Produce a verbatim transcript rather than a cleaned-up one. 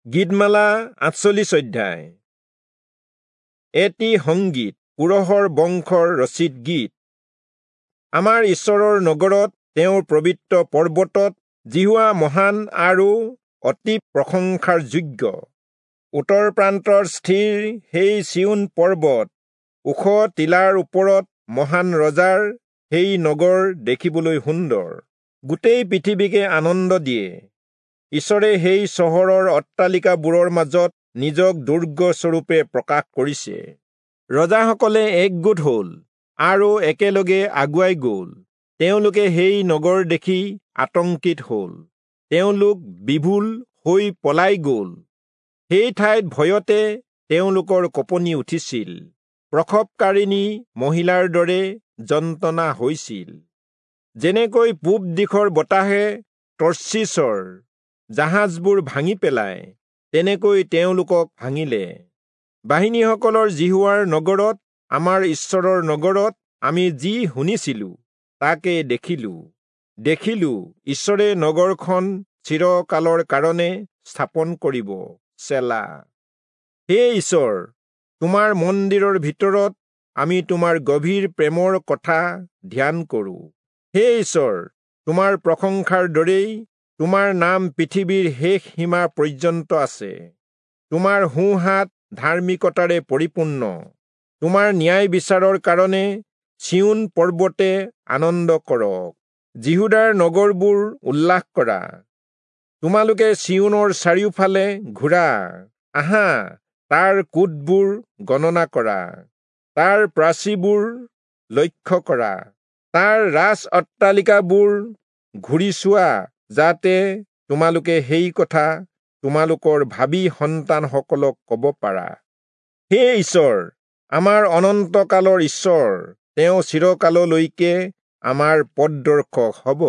গীতমালা আঠচল্লিশ অধ্যায়। এটি সংগীত, কোৰহৰ বংশৰ ৰচিত গীত। আমাৰ ঈশ্বৰৰ নগৰত, তেওঁৰ পবিত্ৰ পৰ্বতত যিহোৱা মহান আৰু অতি প্ৰশংসাৰ যোগ্য। উত্তৰ প্ৰান্তৰ স্থিৰ সেই চিয়োন পৰ্বত, ওখ টিলাৰ ওপৰত মহান ৰজাৰ সেই নগৰ দেখিবলৈ সুন্দৰ, গোটেই পৃথিৱীকে আনন্দ দিয়ে। ঈশ্বৰে সেই চহৰৰ অট্টালিকাবোৰৰ মাজত নিজক দুৰ্গস্বৰূপে প্ৰকাশ কৰিছে। ৰজাসকলে একগোট হল আৰু একেলগে আগুৱাই গল। তেওঁলোকে সেই নগৰ দেখি আতংকিত হল, তেওঁলোক বিভোল হৈ পলাই গল। সেই ঠাইত ভয়তে তেওঁলোকৰ কঁপনি উঠিছিল, প্ৰসৱকাৰিণী মহিলাৰ দৰে যন্ত্ৰণা হৈছিল। যেনেকৈ পূব দিশৰ বতাহে তৰ্চীচৰ জাহাজবোৰ ভাঙি পেলায়, তেনেকৈ তেওঁলোকক ভাঙিলে। বাহিনীসকলৰ যিহোৱাৰ নগৰত, আমাৰ ঈশ্বৰৰ নগৰত আমি যি শুনিছিলো তাকে দেখিলো। দেখিলো ঈশ্বৰে নগৰখন চিৰকালৰ কাৰণে স্থাপন কৰিব। চেলা। হে ঈশ্বৰ, তোমাৰ মন্দিৰৰ ভিতৰত আমি তোমাৰ গভীৰ প্ৰেমৰ কথা ধ্যান কৰো। হে ঈশ্বৰ, তোমাৰ প্ৰশংসাৰ দৰেই তোমাৰ নাম পৃথিৱীৰ শেষ সীমা পৰ্যন্ত আছে। তোমাৰ সোঁহাত ধাৰ্মিকতাৰে পৰিপূৰ্ণ। তোমাৰ ন্যায় বিচাৰৰ কাৰণে চিয়োন পৰ্বতে আনন্দ কৰক, যিহূদাৰ নগৰবোৰ উল্লাস কৰা। তোমালোকে চিয়োনৰ চাৰিওফালে ঘূৰা, আহা, তাৰ কোটবোৰ গণনা কৰা, তাৰ প্ৰাচীৰবোৰ লক্ষ্য কৰা, তাৰ ৰাজ অট্টালিকাবোৰ ঘূৰি চোৱা, যাতে তোমালোকে সেই কথা তোমালোকৰ ভাবী সন্তানসকলক কব পাৰা। হে ঈশ্বৰ, আমাৰ অনন্তকালৰ ঈশ্বৰ, তেওঁ চিৰকাললৈকে আমাৰ পথদৰ্শক হব।